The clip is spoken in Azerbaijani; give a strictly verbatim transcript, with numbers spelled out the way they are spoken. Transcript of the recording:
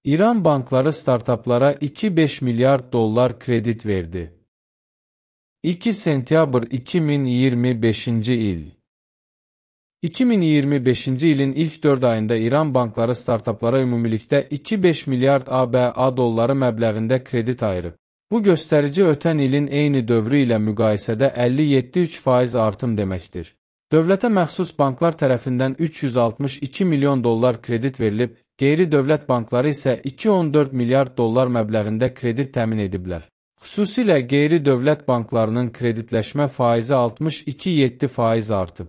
İran bankları startaplara iki nöqtə beş milyard dollar kredit verdi. iki sentyabr iki min iyirmi beşinci il. iki min iyirmi beşinci ilin ilk dörd ayında İran bankları startaplara ümumilikdə iki nöqtə beş milyard ABŞ dolları məbləğində kredit ayırıb. Bu göstərici ötən ilin eyni dövrü ilə müqayisədə əlli yeddi nöqtə üç faiz artım deməkdir. Dövlətə məxsus banklar tərəfindən üç yüz altmış iki milyon dollar kredit verilib, qeyri-dövlət bankları isə iki nöqtə on dörd milyard dollar məbləğində kredit təmin ediblər. Xüsusilə qeyri-dövlət banklarının kreditləşmə faizi altmış iki nöqtə yeddi faiz artıb.